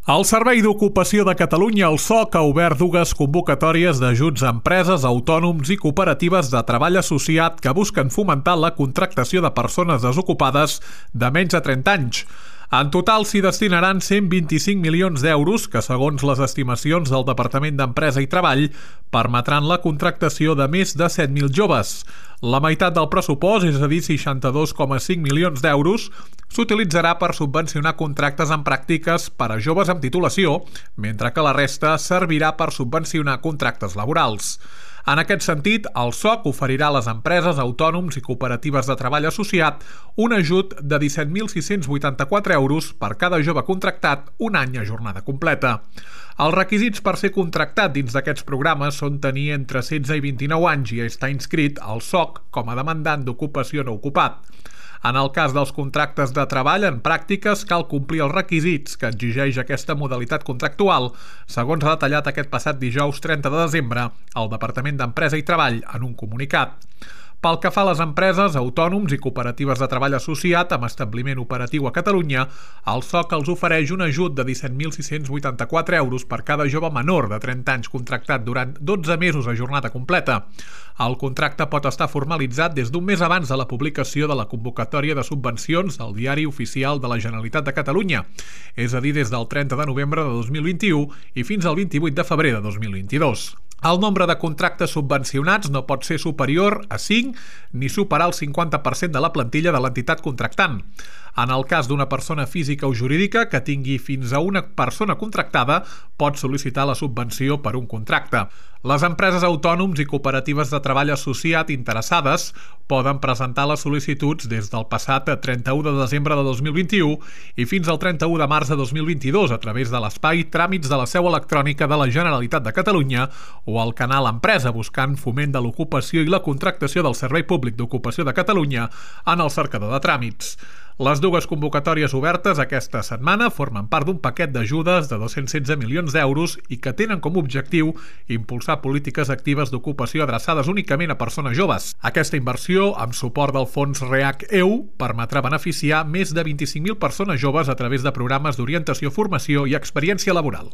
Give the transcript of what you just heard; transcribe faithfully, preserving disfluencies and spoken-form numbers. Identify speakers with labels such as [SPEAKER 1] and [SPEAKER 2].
[SPEAKER 1] El Servei d'Ocupació de Catalunya, el S O C, ha obert dues convocatòries d'ajuts a empreses, autònoms i cooperatives de treball associat que busquen fomentar la contractació de persones desocupades de menys de trenta anys. En total s'hi destinaran cent vint-i-cinc milions d'euros que, segons les estimacions del Departament d'Empresa i Treball, permetran la contractació de més de set mil joves. La meitat del pressupost, és a dir, seixanta-dos coma cinc milions d'euros, s'utilitzarà per subvencionar contractes en pràctiques per a joves amb titulació, mentre que la resta servirà per subvencionar contractes laborals. En aquest sentit, el S O C oferirà a les empreses, autònoms i cooperatives de treball associat un ajut de disset mil sis-cents vuitanta-quatre euros per cada jove contractat un any a jornada completa. Els requisits per ser contractat dins d'aquests programes són tenir entre setze i vint-i-nou anys i estar inscrit al S O C com a demandant d'ocupació no ocupat. En el cas dels contractes de treball en pràctiques, cal complir els requisits que exigeix aquesta modalitat contractual, segons ha detallat aquest passat dijous trenta de desembre el Departament d'Empresa i Treball en un comunicat. Pel que fa a les empreses, autònoms i cooperatives de treball associat amb establiment operatiu a Catalunya, el S O C els ofereix un ajut de disset mil sis-cents vuitanta-quatre euros per cada jove menor de trenta anys contractat durant dotze mesos a jornada completa. El contracte pot estar formalitzat des d'un mes abans de la publicació de la convocatòria de subvencions al Diari Oficial de la Generalitat de Catalunya, és a dir, des del trenta de novembre de dos mil vint-i-u i fins al vint-i-vuit de febrer de dos mil vint-i-dos. El nombre de contractes subvencionats no pot ser superior a cinc ni superar el cinquanta per cent de la plantilla de l'entitat contractant. En el cas d'una persona física o jurídica que tingui fins a una persona contractada, pot sol·licitar la subvenció per un contracte. Les empreses, autònoms i cooperatives de treball associat interessades poden presentar les sol·licituds des del passat trenta-u de desembre de dos mil vint-i-u i fins al trenta-u de març de dos mil vint-i-dos a través de l'espai Tràmits de la seu electrònica de la Generalitat de Catalunya o al canal Empresa, buscant Foment de l'Ocupació i la Contractació del Servei Públic d'Ocupació de Catalunya en el cercador de tràmits. Les dues convocatòries obertes aquesta setmana formen part d'un paquet d'ajudes de dos-cents setze milions d'euros i que tenen com a objectiu impulsar polítiques actives d'ocupació adreçades únicament a persones joves. Aquesta inversió, amb suport del fons REAC-E U, permetrà beneficiar més de vint-i-cinc mil persones joves a través de programes d'orientació, formació i experiència laboral.